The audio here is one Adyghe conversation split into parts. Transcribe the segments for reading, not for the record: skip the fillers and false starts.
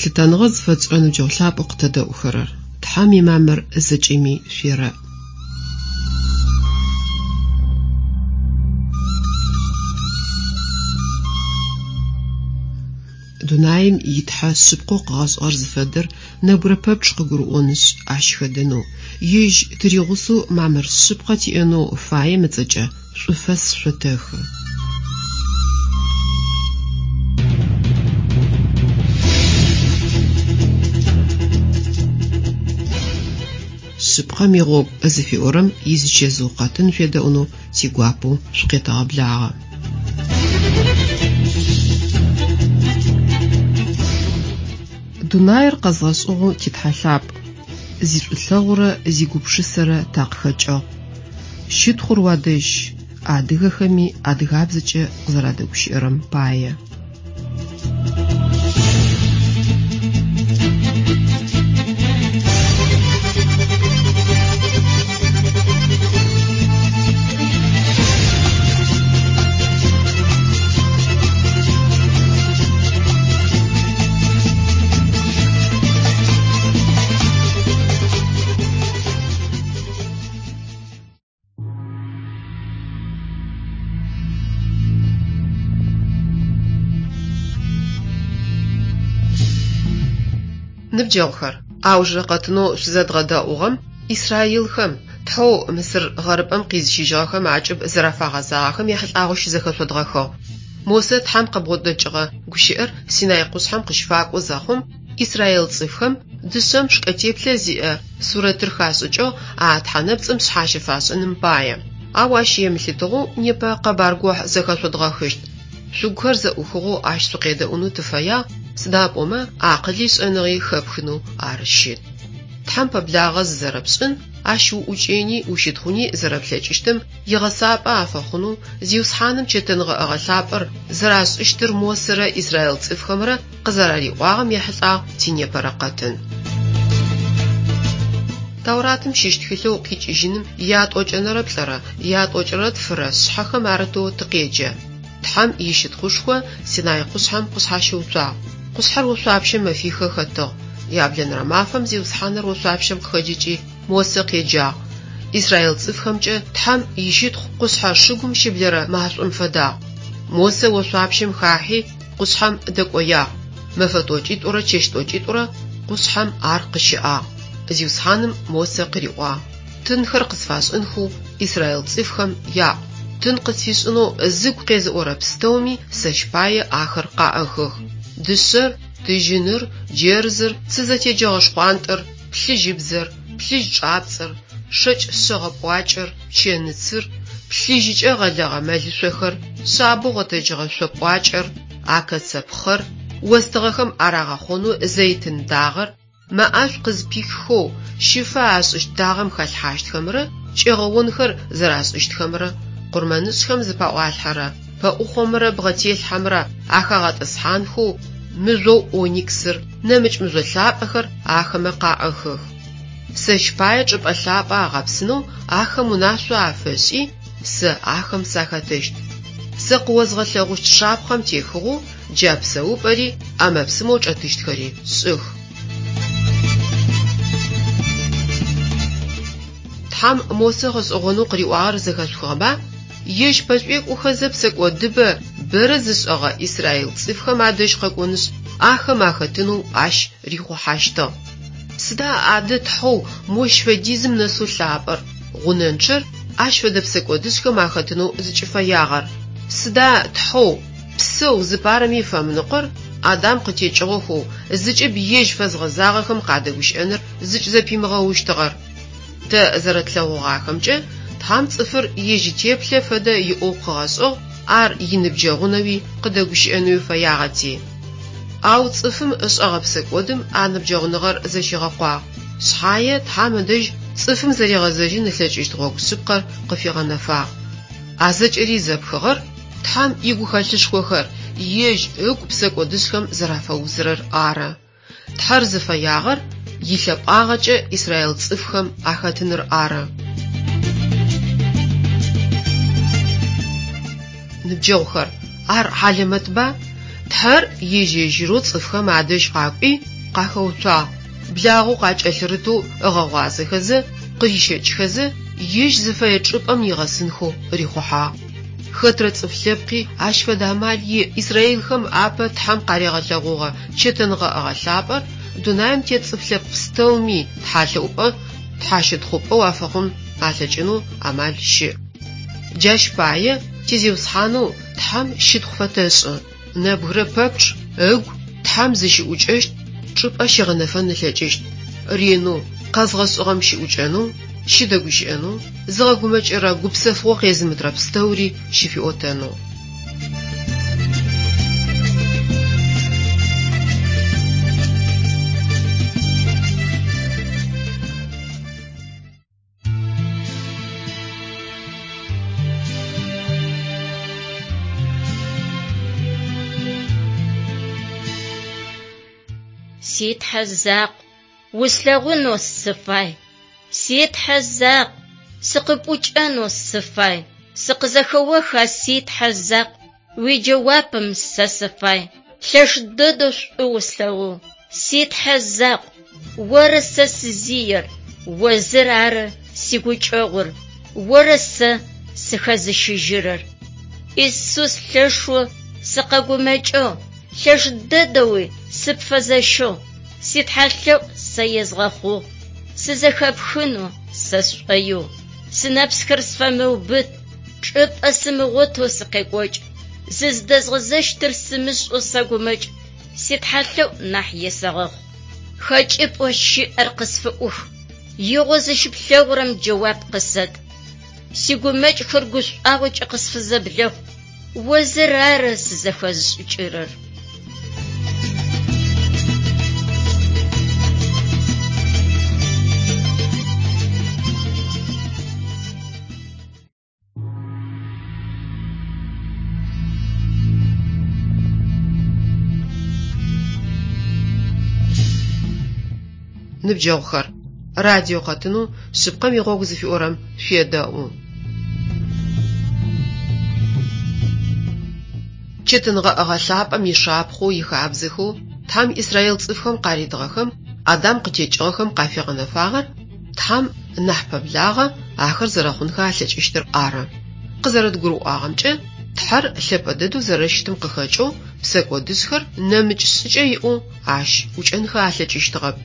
Лъытэныгъэ зыфэтшӏырэ ныбджэгъу лъапӏэу къытэдэӏухэрэр! Тхьэм имамыр зэкӏэми шъуерэӏ. Дунаим и Тхьэ шъыпкъэу къыгъэшӏыгъэр зыфэдэр нэбгырэ пэпчъ къыгурыӏонышъ, ащ хэдэнэу, ежь тыригъусэу мамыр шъыпкъэ тиӏэнэу фаем ыцӏэкӏэ шӏуфэс шъотэхы. Шъыпкъэм игъогу зыфиӏорэм изичэзыу къэтын шъуедэӏунэу тигуапэу шъукъетэгъэблагъэ. Дунаир къэзгъэшӏыгъэу ти Тхьэ лъапӏ, зишӏулъэгъурэ зигупшысэрэ такъыхэкӏыгъ. Щытхъур уадэжь, адыгэхэми адыгабзэкӏэ къызэрадэгущыӏэрэм пае. Ныбджэгъухэр, аужырэ къэтынэу шъузэдгъэдэӏугъэм исраилхэм, Тхьэу Мысыр гъэрыпӏэм къизыщыжьыгъэхэм акӏыб зэрафагъэзагъэхэм ехьылӏагъэу щызэхэшъодгъэхыгъ. Мосэ Тхьэм къыбгъодэкӏыгъэ гущыӏэр Синай къушъхьэм къыщыфакӏо зэхъум, Исраил цӏыфхэм дышъэм шкӏэ теплъэ зиӏэ сурэтыр хашӏыкӏыгъ а тхьэнэпцӏым шъхьащэ фашӏыным пае. Ау ащ емылъытыгъэу непэ къэбар гохь зэхэшъодгъэхыщт. Шъугухэр зэӏухыгъэу ащ шъукъедэӏунэу тыфэягъ, сыда пӏомэ акъыли шӏэныгъи хэпхынэу ар щыт. Тхьэм пэблагъэ зызэрэпшӏын, ащ уӏукӏэни ущытхъуни зэрэплъэкӏыщтым игъэсапӏэ афэхъунэу Зиусхьаным чэтэнгъэӏэгъэ лъапӏэр зэрашӏыщтыр Мосэрэ израил цӏыфхэмрэ къызэрариӏуагъэм ехьылӏагъ тинепэрэ къэтын. Тауратым щыщ тхылъэу Къикӏыжьыным ятӏокӏэнэрэ плӏырэ, ятӏокӏырэ тфырэ шъхьэхэм арытэу тыкъеджэ. Тхьэм ищытхъушхо Синай къушъхьэм къышъхьащыуцуагъ. Къушъхьэр ошъуапщэм мэфихэ хэтыгъ. Яблэнэрэ мафэм Зиусхьаныр ошъуапщэм къыхэджыкӏи, Мосэ къеджагъ. Израил цӏыфхэмкӏэ Тхьэм ищытхъу къушъхьэ шыгум щыблэрэ машӏом фэдагъ. Мосэ ошъуапщэм хахьи, къушъхьэм дэкӏоягъ. Мэфэ тӏокӏитӏурэ чэщ тӏокӏитӏурэ къушъхьэм ар къыщыӏагъ. Зиусхьаным Мосэ къыриӏуагъ, Тынхэр къысфашӏынхэу израил цӏыфхэм яӏу. Тын къысфишӏынэу зыгу къезыӏорэ пстэуми сэщ пае ахэр къаӏыхых. Дышъэр, тыжьыныр, джэрзыр, цы зэтеджэгъэ шхъуантӏэр, плъыжьыбзэр, плъыжь чӏапцӏэр, шэкӏ шъэгъэ пӏуакӏэр, пчэныцыр, плъыжьыкӏэ гъэлэгъэ мэлышъохэр, шъабэу гъэтэджыгъэ шъо пӏуакӏэр, акэцэ пхъэр, остыгъэхэм арагъэхъонэу зэйтын дагъэр, мэ ӏэшӏу къызпиххэу щыфэ ашӏыщт дагъэм халъхьащтхэмрэ кӏэгъэонхэр зэрашӏыщтхэмрэ, къурмэнышӏхэм зыпаӏуалъхьэрэ пэӏухъомрэ бгъэтелъхьэмрэ ахагъэтӏысхьанхэу мыжъоу ониксыр, нэмыкӏ мыжъо лъапӏэхэр ахэмэ къаӏыхых. Сэщ пае чӏыпӏэ лъапӏэ агъэпсынэу ахэм унашъо афэшӏи, сэ ахэм сахэтыщт. Сэ къыозгъэлъэгъущт шапхъэм техыгъэу джа псэупӏэри ӏэмэ-псымэу чӏэтыщтхэри шӏых. Тхьэм Мосэ гъэшӏэгъонэу къыриӏуагъэр зэхэшъухыгъэба? Ежь пэшӏуекӏохэзэ псэкӏодыбэ бэрэ зышӏэгъэ израил цӏыфхэм адэжь къэкӏонышъ, ахэм ахэтынэу ащ рихъухьащтыгъ. Сыда адэ Тхьэу мощ фэдизым нэсэу лъапӏэр, гъунэнчъэр ащ фэдэ псэкӏодышӏхэм ахэтынэу зыкӏыфэягъэр? Сыда Тхьэу, псэу зыпарэми фэмыныкъор Адам къытекӏыгъэхэу зыкӏыб ежь фэзгъэзагъэхэм къадэгущыӏэныр зыкӏызэпимыгъэущтыгъэр? Тэ зэрэтлъэгъугъахэмкӏэ, Тхьэм цӏыфыр ежь итеплъэ фэдэ иӏэу къыгъэшӏыгъ, ар иныбджэгъунэуи къыдэгущыӏэнэуи фэягъэти. Ау цӏыфым ышӏэгъэ псэкӏодым а ныбджэгъуныгъэр зэщигъэкъуагъ. Шъхьае Тхьэм ыдэжь цӏыфым зэригъэзэжьын ылъэкӏыщт гъогу шъыпкъэр къыфигъэнэфагъ. А зэкӏэри зэпхыгъэр Тхьэм игухэлъышхохэр ежь ыгу псэкӏодышӏхэм зэрафэузырэр ары. Тхьэр зыфэягъэр илъэпӏагъэкӏэ израил цӏыфхэм ахэтыныр ары. Ныбджэгъухэр, ар хьалэмэтба? Тхьэр ежь-ежьырэу цӏыфхэм адэжь къакӏуи, къахэуцуагъ, благъэу къакӏэлъырытэу ыгъэгъуазэхэзэ, къырищэкӏхэзэ, ежь зыфэе чӏыпӏэм нигъэсынхэу рихъухьагъ. Хэтрэ цӏыф лъэпкъи ащ фэдэ амал иӏ. Израилхэм апэ Тхьэм къаригъэлъэгъугъэ чэтэнгъэӏэгъэ лъапӏэр дунаим тет цӏыф лъэпкъ пстэуми тхьалъэӏупӏэ, тхьащытхъупӏэу афэхъун алъэкӏынэу амал щыӏ. Джащ пае ти Зиусхьанэу Тхьэм щытхъу фэтэшӏы. Нэбгырэ пэпчъ ыгу Тхьэм зыщыӏукӏэщт чӏыпӏэ щигъэнэфэн ылъэкӏыщт. Ренэу къэзгъэшӏыгъэм щыӏукӏэнэу, щыдэгущыӏэнэу, зыгъэгумэкӏырэ гупсэфыгъо къезымытырэ пстэури щыфиӏотэнэу. Си Тхьэ закъу, услъэгъунэу сыфай. Си Тхьэ закъу, сыкъыпӏукӏэнэу сыфай. Сыкъызэхэоха, си Тхьэ закъу, уиджэуапым сэ сыфай. Лъэш дэдэу шӏу услъэгъугъ. Си Тхьэ закъу, оры сэ сызиер, о зыр ары сигукӏэгъур, оры сэ сыхэзыщыжьырэр. Исус лъэшэу сыкъэгумэкӏыгъ, лъэш дэдэуи сыпфэзэщыгъ, ситхьэлъэӏу сэ езгъэхъугъ, сызэхэпхынэу сэ сшӏоигъу. Сынэпсхэр сфэмыубыт, чӏыпӏэ сымыгъотэу сыкъекӏокӏ, зыздэзгъэзэщтыр сымышӏэу сэгумэкӏ, ситхьэлъэӏу нахь есэгъэхъу. Хэкӏыпӏэу щыӏэр къысфыӏух, игъо зыщыплъэгъурэм джэуап къысэт. Сигумэкӏхэр гушӏуагъокӏэ къысфызэблэхъу, о зыр ары сызэхэзышӏыкӏырэр. Ныбджэгъухэр, радио къэтынэу Шъыпкъэм игъогу зыфиӏорэм шъуедэӏу. Чэтэнгъэӏэгъэ лъапӏэм ишапхъэу, ихабзэхэу Тхьэм Израил цӏыфхэм къаритыгъэхэм Адам къытекӏыгъэхэм къафигъэнэфагъэр Тхьэм нахь пэблагъэ ахэр зэрэхъунхэ алъэкӏыщтыр ары. Къызэрэдгурыӏуагъэмкӏэ, Тхьэр лъэпӏэ дэдэу зэрэщытым къыхэкӏэу псэкӏодышъхэр нэмыкӏ шӏыкӏэ иӏэу ащ ӏукӏэнхэ алъэкӏыщтыгъэп.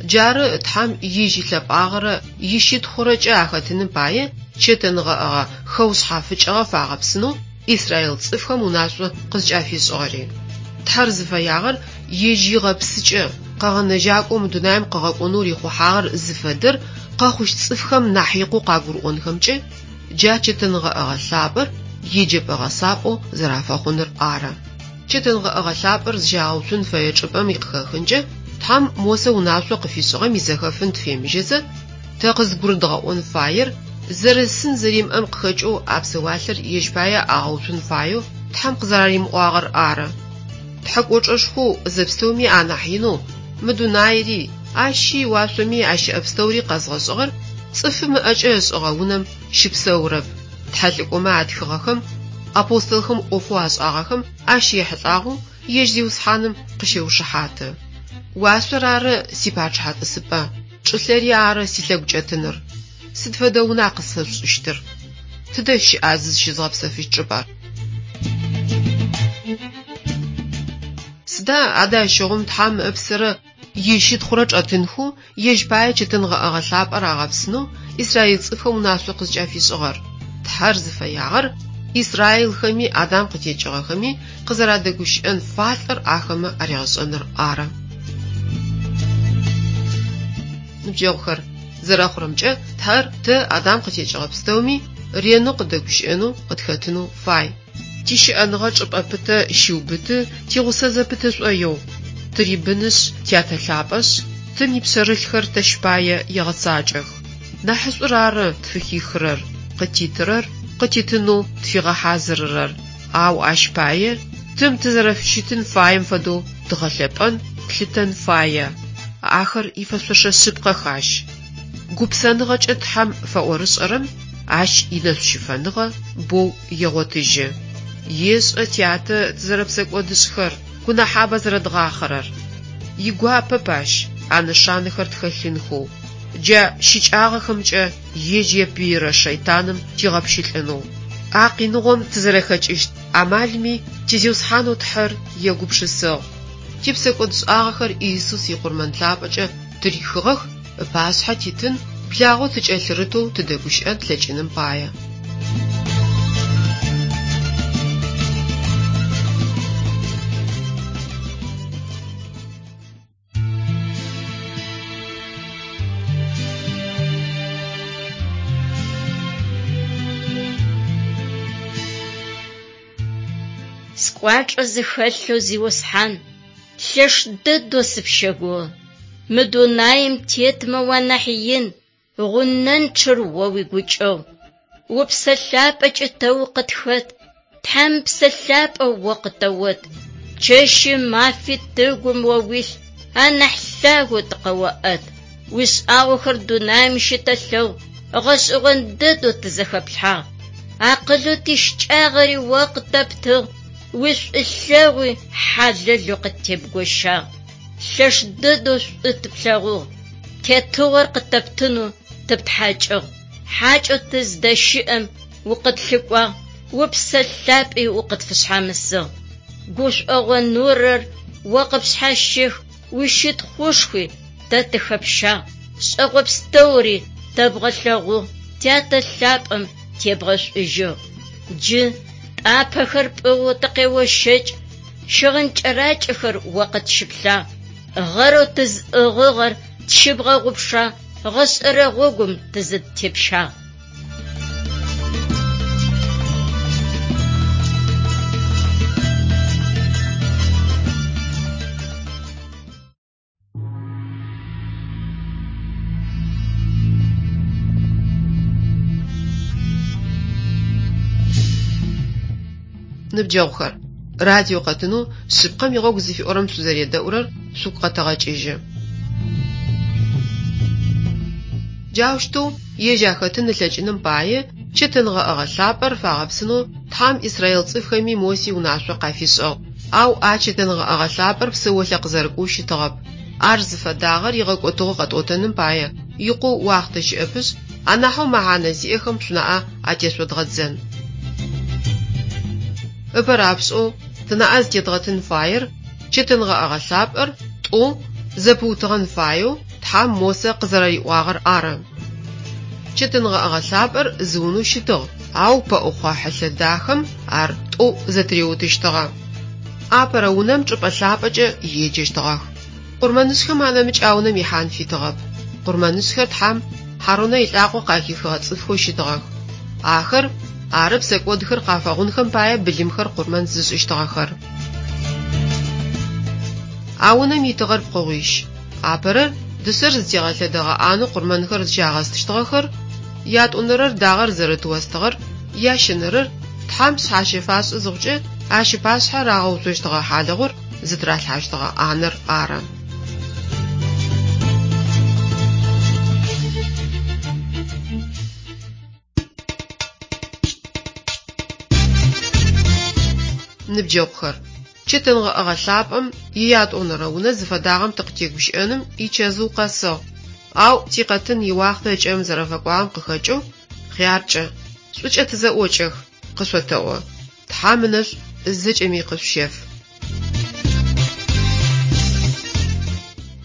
Джары Тхьэм ежь илъэпӏагъэрэ ищытхъурэкӏэ ахэтыным пае чэтэнгъэӏэгъэ хэушъхьафыкӏыгъэ фагъэпсынэу Израил цӏыфхэм унашъо къызкӏафишӏыгъэри. Тхьэр зыфэягъэр ежь игъэпсыкӏэ, къэгъэнэжьакӏоу мы дунаим къыгъэкӏонэу рихъухьагъэр зыфэдэр къэхъущт цӏыфхэм нахь икъоу къагурыӏонхэмкӏэ джа чэтэнгъэӏэгъэ лъапӏэр еджэпӏэ гъэсапӏэу зэрафэхъуныр ары. Чэтэнгъэӏэгъэ лъапӏэр зыщагъэуцун фэе чӏыпӏэм икъыхэхынкӏэ Тхьэм Мосэ унашъо къыфишӏыгъэм изэхэфын тыфемыжьэзэ, тэ къызгурыдгъэӏон фаер зэрысын зэримыӏэм къыхэкӏэу а псэуалъэр ежь пае агъэуцун фаеу Тхьэм къызэраримыӏуагъэр ары. Тхьэ кӏочӏэшхоу зэпстэуми анахь инэу мы дунаири, ащи уашъоми ащыӏэ пстэури къэзгъэшӏыгъэр цӏыфым ыӏэкӏэ ышӏыгъэ унэм щыпсэурэп. Тхьэлӏыкӏомэ атхыгъэхэм, апостолхэм ӏофэу ашӏагъэхэм ащ ехьылӏагъэу ежь Зиусхьаным къыщеушыхьаты. Уашъор ары сипачъыхьэ тӏысыпӏэ, чӏылъэри ары силъэгукӏэтыныр. Сыд фэдэ уна къысфэшъушӏыщтыр? Тыдэ щыӏа зызщызгъэпсэфыщт чӏыпӏэр? Сыда адэ ащыгъум Тхьэм ыпсэрэ ищытхъурэ чӏэтынхэу ежь пае чэтэнгъэӏэгъэ лъапӏэр агъэпсынэу Израил цӏыфхэм унашъо къызкӏафишӏыгъэр? Тхьэр зыфэягъэр израилхэми Адам къытекӏыгъэхэми къызэрадэгущыӏэн фалӏэр ахэмэ аригъэшӏэныр ары. Ныбджэгъухэр, зэрэхъурэмкӏэ, Тхьэр тэ Адам къытекӏыгъэ пстэуми ренэу къыдэгущыӏэнэу, къытхэтынэу фай. Тищыӏэныгъэ чӏыпӏэ пытэ щиубыты, тигъусэ зэпыты шӏоигъу. Тырибынышъ, тятэ лъапӏэшъ, тым ипшъэрылъхэр тэщ пае егъэцакӏэх. Нахьышӏур ары тфыхихырэр, къытитырэр, къытитынэу тфигъэхьазырырэр. Ау ащ пае тым тызэрэфыщытын фаем фэдэу дгъэлъэпӏэн, тлъытэн фае. Ахэр ифэшъошэ шъыпкъэх ащ. Гупсэныгъэкӏэ Тхьэм фэӏорышӏэрэм ащ инэшӏущыфэныгъэ боу егъотыжьы. Ешӏэ тятэ тызэрэпсэкӏодышӏхэр, гунахьабэ зэрэдгъахъэрэр. Игуапэп Ащ а нэшанэхэр тхэлъынхэу, джа щыкӏагъэхэмкӏэ ежь епыирэ шэйтаным тигъэпщылӏынэу. А къиныгъом тызэрэхэкӏыщт амалми ти Зиусхьанэу Тхьэр егупшысыгъ. Типсэкӏодшӏагъэхэр Иисус икъурмэн лъапӏэкӏэ ттырихыгъэх, ыпашъхьэ титын, благъэу тыкӏэлъырытэу тыдэгущыӏэн тлъэкӏыным пае. Скӏуачӏэ зыхэлъэу Зиусхьан, лъэш дэдэу сыпщэгугъы. Мы дунаим тетмэ уанахь ин, гъунэнчъэр о уигукӏэгъу. Упсэ лъапӏэкӏэ тэ укъытхэт, Тхьэм Псэ Лъапӏэ о къытэот. Чэщи мафи тыгум о уилъ, анахь лъагэу тыкъэоӏэт. Уишӏагъохэр дунаим щытэлъэгъу, гъэшӏэгъон дэдэу тызэхэплъхьагъ. Акъылэу тищыкӏагъэри о къытэптыгъ, уишӏулъэгъуи хьалэлэу къыттебгощагъ. Лъэш дэдэу шӏу тыплъэгъугъ, тетыгъор къытэптынэу тыптхьакӏыгъ. Хьакӏэу тыздэщыӏэм укъытлъыкӏуагъ, Упсэ Лъапӏи укъытфышъхьамысыгъ. Гушӏогъо нурэр о къыпшъхьащех, уищытхъушхуи тэ тыхэпщагъ. Шӏэгъо пстэури тэбгъэлъэгъугъ, Тятэ лъапӏэм тебгъэшӏужьыгъ. Джы тӏапэхэр пӏыгъэу тыкъеощэкӏ, щыгъын кӏэракӏэхэр о къытщыплъагъ. Гъэрэу тызӏыгъыгъэр тщыбгъэгъупшагъ, гъэшӏэрэ гъогум тызыдтепщагъ. Ныбджэгъухэр, радио къэтынэу Шъыпкъэм игъогу зыфиӏорэм шъузэредэӏурэр шъугу къэтэгъэкӏыжьы. Джаущтэу ежь ахэтын ылъэкӏыным пае, чэтэнгъэӏэгъэ лъапӏэр фагъэпсынэу Тхьэм израил цӏыфхэми Моси унашъо къафишӏыгъ. Ау а чэтэнгъэӏэгъэ лъапӏэр псэолъэ къызэрыкӏоу щытыгъэп. Ар зыфэдагъэр игъэкӏотыгъэу къэтӏотэным пае икъоу уахътэ щыӏэпышъ, анахьэу мэхьанэ зиӏэхэм шъунаӏэ атешъодгъэдзэн. Ыпэрапшӏэу тынаӏэ зытедгъэтын фаер чэтэнгъэӏэгъэ лъапӏэр тӏо зэпыутыгъэн фаеу Тхьэм Мосэ къызэрэриӏуагъэр ары. Чэтэнгъэӏэгъэ лъапӏэр зы унэу щытыгъ, ау пэӏухъо хьылъэ дахэм ар тӏоу зэтыриутыщтыгъэ. Апэрэ унэм чӏыпӏэ лъапӏэкӏэ еджэщтыгъэх. Къурмэнышӏхэм анэмыкӏ а унэм ихьан фитыгъэп. Къурмэнышӏхэр Тхьэм Хьарунэ илӏакъо къахихыгъэ цӏыфхэу щытыгъэх. Ахэр ары псэкӏодхэр къафэгъунхэм пае былымхэр къурмэн зышӏыщтыгъэхэр. А унэм итыгъэр пкъыгъуищ. Апэрэр, дышъэр зытегъэлъэдэгъэ ӏанэу къурмэнхэр зыщагъэстыщтыгъэхэр, ятӏонэрэр дагъэр зэрыт остыгъэр, ящэнэрэр, Тхьэм шъхьащэ фашӏы зыхъукӏэ, ащ ыпашъхьэ рагъэуцощтыгъэ хьалыгъур зытыралъхьащтыгъэ ӏанэр ары. Ныбджэгъухэр, чэтэнгъэӏэгъэ лъапӏэм иятӏонэрэ унэ зыфэдагъэм тыкъытегущыӏэным ичэзыу къэсыгъ, ау тикъэтын иуахътэ ыкӏэм зэрэфэкӏуагъэм къыхэкӏэу, хъяркӏэ, шӏукӏэ тызэӏокӏэх, къышъотэӏо. Тхьэм ынэшӏу зэкӏэми къышъущеф.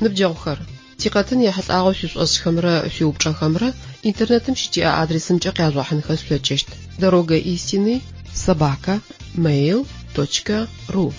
Ныбджэгъухэр, тикъэтын ехьылӏагъэу шъуишӏошӏхэмрэ шъуиупчӏэхэмрэ интернетым щытиӏэ адресымкӏэ къяжъугъэхьынхэ шъулъэкӏыщт: Дорога истины собака mail точка ру.